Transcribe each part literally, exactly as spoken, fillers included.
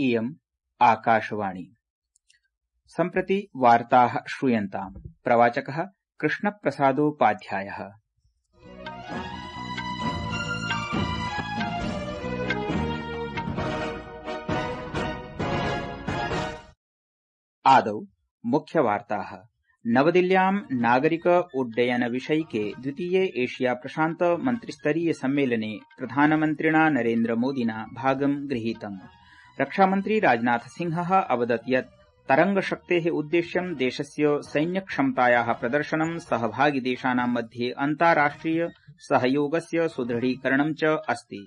इयम् आकाशवाणी। सम्प्रति वार्ताः श्रूयन्ताम्। प्रवाचकः कृष्णप्रसादोपाध्यायः। आदौ मुख्यवार्ताः। नवदिल्ल्यां नागरिक उड्डयन विषयिके द्वितीये एशिया प्रशान्त मन्त्रिस्तरीय सम्मेलने प्रधानमन्त्रिणा नरेन्द्र मोदिना भागं गृहीतम्। रक्षामन्त्री राजनाथ सिंहः अवदत् यत् तरंगशक्तेः उद्देश्यं देशस्य सैन्यक्षमतायाः प्रदर्शनं सहभागिदेशानां मध्ये अन्ताराष्ट्रिय सहयोगस्य सुदृढीकरणं च अस्ति।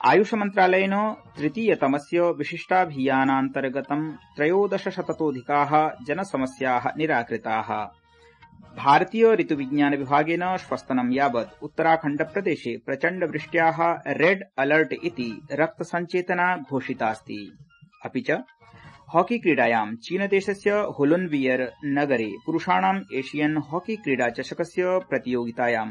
आयुष मन्त्रालयेन तृतीयतमस्य विशिष्टाभियानान्तर्गतं त्रयोदशशततोऽधिकाः जनसमस्याः निराकृताः। भारतीय ऋतुविज्ञान विभागेन श्वस्तनं यावत् उत्तराखण्डप्रदेशे प्रचण्डवृष्ट्याः रेड अलर्ट इति रक्तसञ्चेतना घोषितास्ति। अपि च हॉकी क्रीडायां चीनदेशस्य हुलुनवियर नगरे पुरुषाणाम् एशियन हॉकी क्रीडा चषकस्य प्रतियोगितायां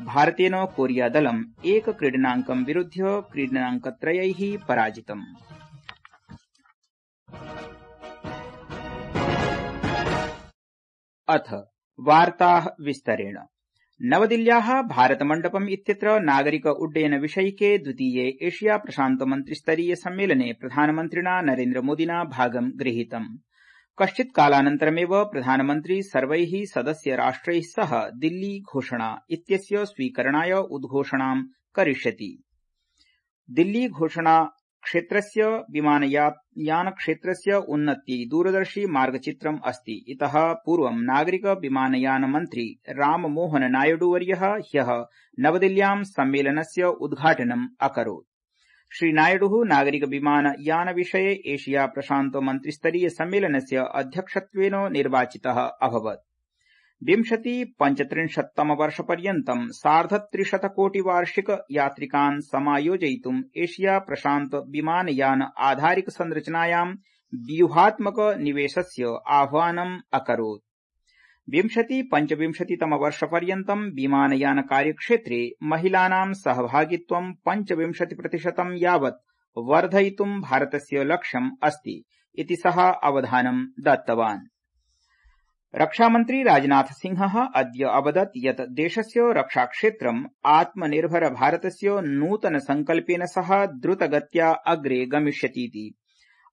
भारतेन कोरियादलम् एकक्रीडनाङ्कं विरुध्य क्रीडनाङ्कत्रयैः पराजितम्। अथ वार्ताः विस्तरेण। नवदिल्ल्याः भारतमण्डपम् इत्यत्र नागरिक उड्डयन विषयिके द्वितीये एशिया प्रशान्त मन्त्रिस्तरीय सम्मेलने प्रधानमन्त्रिणा नरेन्द्र मोदिना भागं गृहीतम्। कश्चित् कालानन्तरमेव प्रधानमन्त्री सर्वैः सदस्य राष्ट्रैः सह दिल्ली घोषणा इत्यस्य स्वीकरणाय उद्घोषणां करिष्यति। दिल्ली घोषणा क्षेत्रस्य विमानयानक्षेत्रस्य उन्नत्यै दूरदर्शी मार्गचित्रम् अस्ति। इतः पूर्वं नागरिक विमानयान मन्त्री राममोहन नायडूवर्यः ह्यः नवदिल्ल्यां सम्मेलनस्य उद्घाटनम् अकरोत्। श्रीनायडुः नागरिक विमानयान विषये एशिया प्रशान्त मन्त्रिस्तरीय सम्मेलनस्य अध्यक्षत्वेन निर्वाचितः अभवत्। विंशति पञ्चत्रिंशत्तम वर्षपर्यन्तं सार्धत्रिशतकोटि वार्षिक यात्रिकान् समायोजयितुम् एशिया प्रशान्त विमानयान आधारिक संरचनायां व्यूहात्मक निवेशस्य आह्वानम् अकरोत्। विंशति पञ्चविंशतितम वर्षपर्यन्तं विमानयान कार्यक्षेत्रे महिलानां सहभागित्वं पञ्चविंशति प्रतिशतं यावत् वर्धयितुं भारतस्य लक्ष्यम् अस्ति इति सः अवधानं दत्तवान्। रक्षामन्त्री राजनाथ सिंहः अद्य अवदत् यत् देशस्य रक्षाक्षेत्रम् आत्मनिर्भर भारतस्य नूतन संकल्पेन सह द्रुतगत्या अग्रे गमिष्यतीति।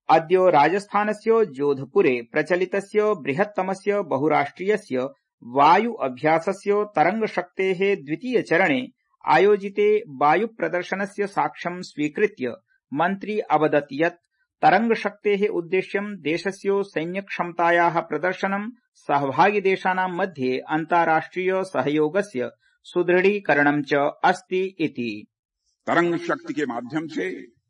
अद्य राजस्थानस्य जोधपुरे प्रचलितस्य बृहत्तमस्य बहुराष्ट्रियस्य वायु अभ्यासस्य तरंगशक्तेः द्वितीयचरणे आयोजिते वायुप्रदर्शनस्य साक्ष्यं स्वीकृत्य मन्त्री अवदत् यत् तरंगशक्तेः उद्देश्यं देशस्य सैन्यक्षमतायाः प्रदर्शनं सहभागिदेशानां मध्ये अन्ताराष्ट्रिय सहयोगस्य सुदृढीकरणं च अस्ति इति। तरंग शक्ति के माध्यम से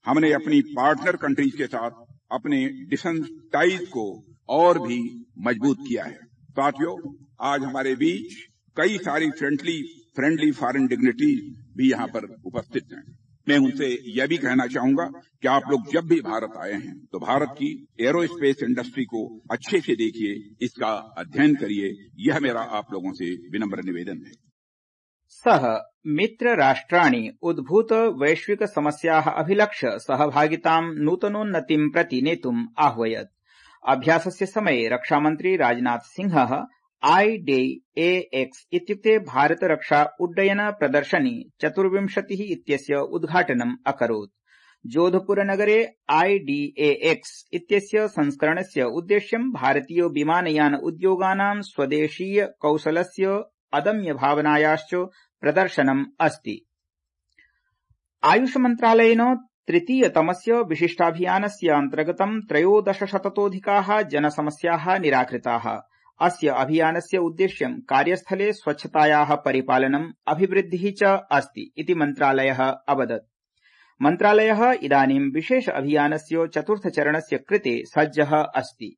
हमने अपनी पार्टनर कंट्रीज के साथ अपने डिफेंस टाइज को और भी मजबूत किया है। साथियों, आज हमारे बीच कई सारी फ्रेंडली फ्रेंडली फॉरेन डिग्निटी भी यहाँ पर उपस्थित हैं। मैं उनसे यह भी कहना चाहूंगा कि आप लोग जब भी भारत आए हैं तो भारत की एरोस्पेस इंडस्ट्री को अच्छे से देखिए, इसका अध्ययन करिए। यह मेरा आप लोगों से विनम्र निवेदन है। सः मित्र राष्ट्राणि उद्भूत वैश्विक समस्याः अभिलक्ष्य सहभागितां नूतनोन्नतिं प्रति नेतुम् आह्वयत्। अभ्यासस्य समये रक्षामन्त्री राजनाथ सिंहः आई डे ए एक्स इत्युक्ते भारत रक्षा उड्डयन प्रदर्शनी चतुर्विंशतिः इत्यस्य उद्घाटनम् अकरोत्। जोधपुरनगरे आई डी ए एक्स इत्यस्य संस्करणस्य उद्देश्यं भारतीय विमानयान उद्योगानां स्वदेशीय कौशलस्य अदम्य भावनायाश्च प्रदर्शनम् अस्ति। आयुष मन्त्रालयेन तृतीयतमस्य विशिष्टाभियानस्य अन्तर्गतं त्रयोदशशततोऽधिकाः जनसमस्याः निराकृताः। अस्य अभियानस्य उद्देश्यं कार्यस्थले स्वच्छतायाः परिपालनम् अभिवृद्धिः च अस्ति इति मन्त्रालयः अवदत्। मन्त्रालयः इदानीं विशेष अभियानस्य चतुर्थचरणस्य कृते सज्जः अस्ति।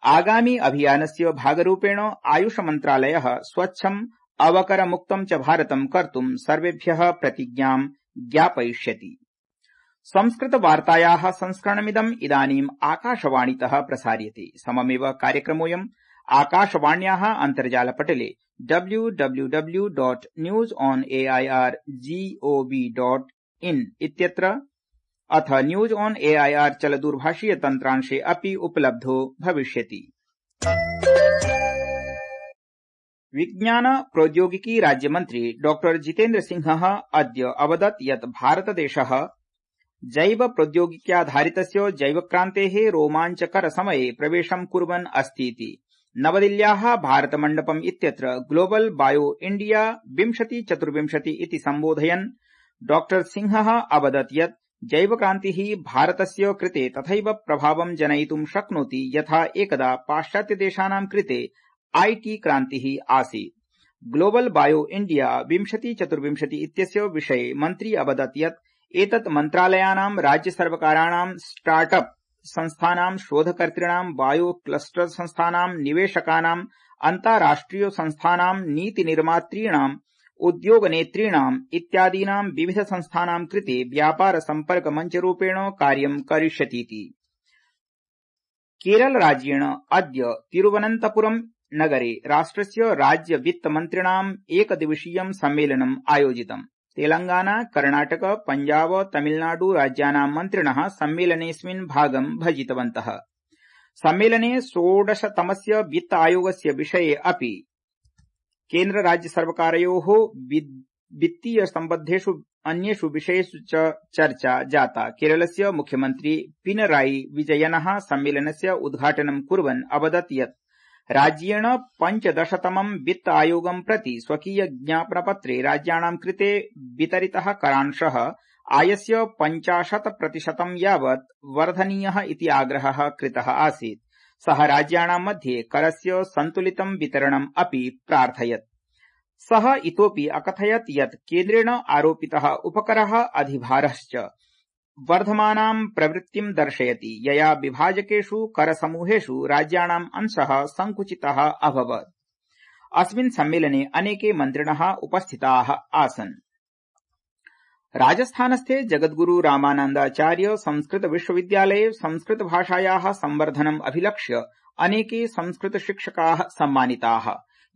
आगामि अभियानस्य भागरूपेण आयुष मन्त्रालयः स्वच्छम् अवकरमुक्तं च भारतं कर्तुं सर्वेभ्यः प्रतिज्ञां ज्ञापयिष्यति। संस्कृतवार्तायाः संस्करणमिदम् इदानीम् आकाशवाणीतः प्रसार्यते। सममेव कार्यक्रमोऽयम् आकाशवाण्याः अन्तर्जालपटले W W W dot news on A I R G O V dot in इत्यत्र अथ न्यूज ऑन एआईआर चलदूरभाषीय तन्त्रांशे अपि उपलब्धो भविष्यति। विज्ञान प्रौद्योगिकी राज्यमन्त्री डॉक्टर जितेन्द्र सिंहः अद्य अवदत् यत् भारतदेशः जैव प्रौद्योगिक्याधारितस्य जैवक्रान्तेः रोमाञ्चकर समये प्रवेशं कुर्वन् अस्तीति। नवदिल्ल्याः भारतमण्डपम् इत्यत्र ग्लोबल बायो इंडिया विंशति चतुर्विंशति इति सम्बोधयन् डॉक्टर सिंहः अवदत् यत् जैवक्रान्तिः भारतस्य कृते तथैव प्रभावं जनयितुं शक्नोति यथा एकदा पाश्चात्यदेशानां कृते आईटी क्रान्तिः आसीत्। ग्लोबल बायो इंडिया विंशति चतुर्विंशति इत्यस्य विषये मन्त्री अवदत् यत् एतत् मन्त्रालयानां राज्यसर्वकाराणां स्टार्टअप संस्थानां शोधकर्तॄणां बायो क्लस्टर संस्थानां निवेशकानां अन्ताराष्ट्रिय संस्थानां नीतिनिर्मातॄणां उद्योगनेतॄणाम् इत्यादीनां विविध संस्थानां कृते व्यापार सम्पर्क मञ्चरूपेण कार्यं करिष्यतीति। केरल राज्येण अद्य तिरुवनन्तपुरम् नगरे राष्ट्रस्य राज्य वित्तमन्त्रिणाम् एकदिवसीयं सम्मेलनम् आयोजितम्। तेलंगाना, कर्णाटक, पंजाब, तमिलनाडु राज्यानां मन्त्रिणः सम्मेलनेऽस्मिन् भागं भजितवन्तः। सम्मेलने षोडशतमस्य वित्त आयोगस्य विषये अपि केन्द्र राज्य सर्वकारयोः वित्तीय सम्बद्धेषु अन्येषु विषयेषु च चर्चा जाता। केरलस्य मुख्यमन्त्री पिनराई विजयनः सम्मेलनस्य उद्घाटनं कुर्वन् अवदत् यत् राज्येण पञ्चदशतमं वित्त आयोगं प्रति स्वकीय ज्ञापनपत्रे राज्याणां कृते वितरितः करांशः आयस्य पञ्चाशत् प्रतिशतं यावत् वर्धनीयः इति आग्रहः कृतः आसीत्। सः राज्याणां मध्ये करस्य सन्तुलितं वितरणम् अपि प्रार्थयत्। सः इतोऽपि अकथयत् यत् केन्द्रेण आरोपितः उपकरः अधिभारश्च वर्धमानां प्रवृत्तिं दर्शयति यया विभाजकेषु करसमूहेषु राज्याणाम् अंशः संकुचितः अभवत्। अस्मिन् सम्मेलने अनेके मन्त्रिणः उपस्थिताः आसन्। राजस्थानस्थे जगद्गुरु रामानन्दाचार्य संस्कृत विश्वविद्यालये संस्कृत भाषायाः संवर्धनम् अभिलक्ष्य अनेके संस्कृत शिक्षकाः सम्मानिताः,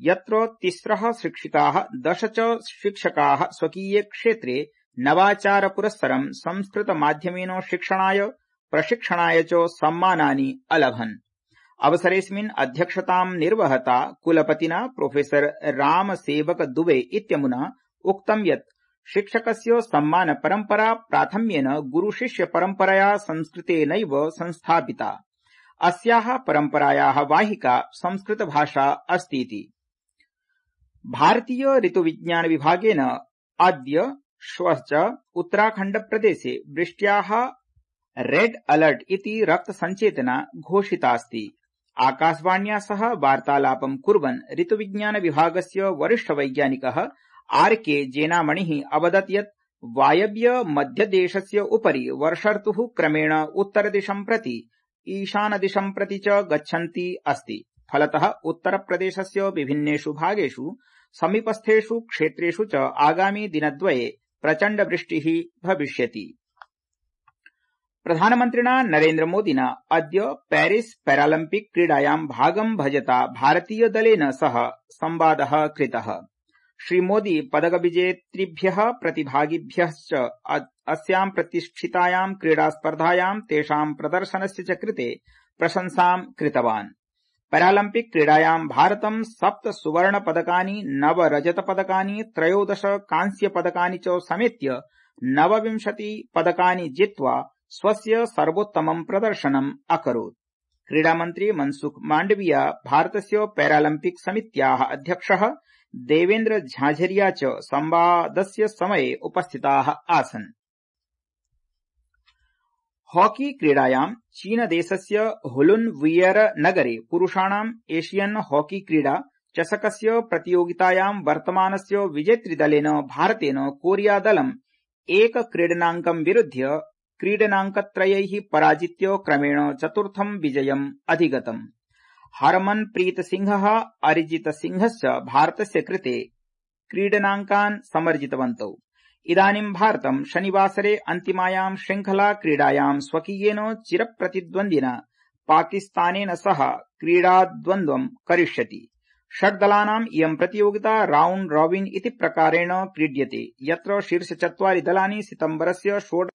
यत्र तिस्रः शिक्षिताः दश च शिक्षकाः स्वकीये क्षेत्रे नवाचार पुरस्सरं संस्कृत माध्यमेन शिक्षणाय प्रशिक्षणाय च सम्मानानि अलभन्। अवसरेऽस्मिन् अध्यक्षतां निर्वहता कुलपतिना प्रोफेसर रामसेवक दुबे इत्यमुना उक्तं यत् शिक्षकस्य सम्मान परम्परा प्राथम्येन गुरुशिष्य परम्परया संस्कृतेनैव संस्थापिता। अस्याः परम्परायाः वाहिका संस्कृत भाषा अस्तीति। भारतीय ऋतुविज्ञान विभागेन अद्य श्वः च उत्तराखण्ड प्रदेशे वृष्ट्याः रेड अलर्ट इति रक्त संचेतना घोषितास्ति। आकाशवाण्या सह वार्तालापं कुर्वन् ऋतुविज्ञान विभागस्य वरिष्ठ वैज्ञानिकः आर के जेनामणिः अवदत् यत् वायव्य मध्यदेशस्य उपरि वर्षर्तुः क्रमेण उत्तरदिशं प्रति ईशानदिशं प्रति च गच्छन्ती अस्ति। फलतः उत्तरप्रदेशस्य विभिन्नेषु भागेषु समीपस्थेषु क्षेत्रेषु च आगामि दिनद्वये प्रचण्ड वृष्टिः भविष्यति। प्रधानमन्त्रिणा नरेन्द्र मोदिना अद्य पेरिस पैरालम्पिक क्रीडायां भागं भजता भारतीय दलेन सह संवादः कृतः। श्रीमोदी पदकविजेतृभ्यः प्रतिभागिभ्यश्च अस्यां प्रतिष्ठितायां क्रीडास्पर्धायां तेषां प्रदर्शनस्य च कृते प्रशंसां कृतवान्। पैरालम्पिक क्रीडायां भारतं सप्त सुवर्ण पदकानि, नव रजत पदकानि, त्रयोदश कांस्य पदकानि च समेत्य नवविंशति पदकानि जित्वा स्वस्य सर्वोत्तमं प्रदर्शनम् अकरोत्। क्रीडामन्त्री मनसुख माण्डविया, भारतस्य पैरालम्पिक समित्याः अध्यक्षः देवेन्द्र झाझरिया च संवादस्य समये उपस्थिताः आसन्। हॉकी क्रीडायां चीनदेशस्य हुलुनवियर नगरे पुरुषाणाम् एशियन हॉकी क्रीडा चषकस्य प्रतियोगितायां वर्तमानस्य विजेतृदलेन भारतेन कोरियादलम् एक क्रीडनाङ्कं विरुध्य क्रीडनाङ्कत्रयैः पराजित्य क्रमेण चतुर्थं विजयम् अधिगतम्। हरमनप्रीत सिंहः, अरिजित सिंहश्च भारतस्य कृते क्रीडनाङ्कान् समर्जितवन्तौ। इदानीं भारतं शनिवासरे अन्तिमायां श्रृंखला क्रीडायां स्वकीयेन चिरप्रतिद्वन्द्विना पाकिस्तानेन सह क्रीडाद्वन्द्वं करिष्यति। षड्दलानाम् इयं प्रतियोगिता राउण्ड रॉबिन इति प्रकारेण क्रीड्यते, यत्र शीर्षचत्वारि दलानि सितम्बरस्य षोडश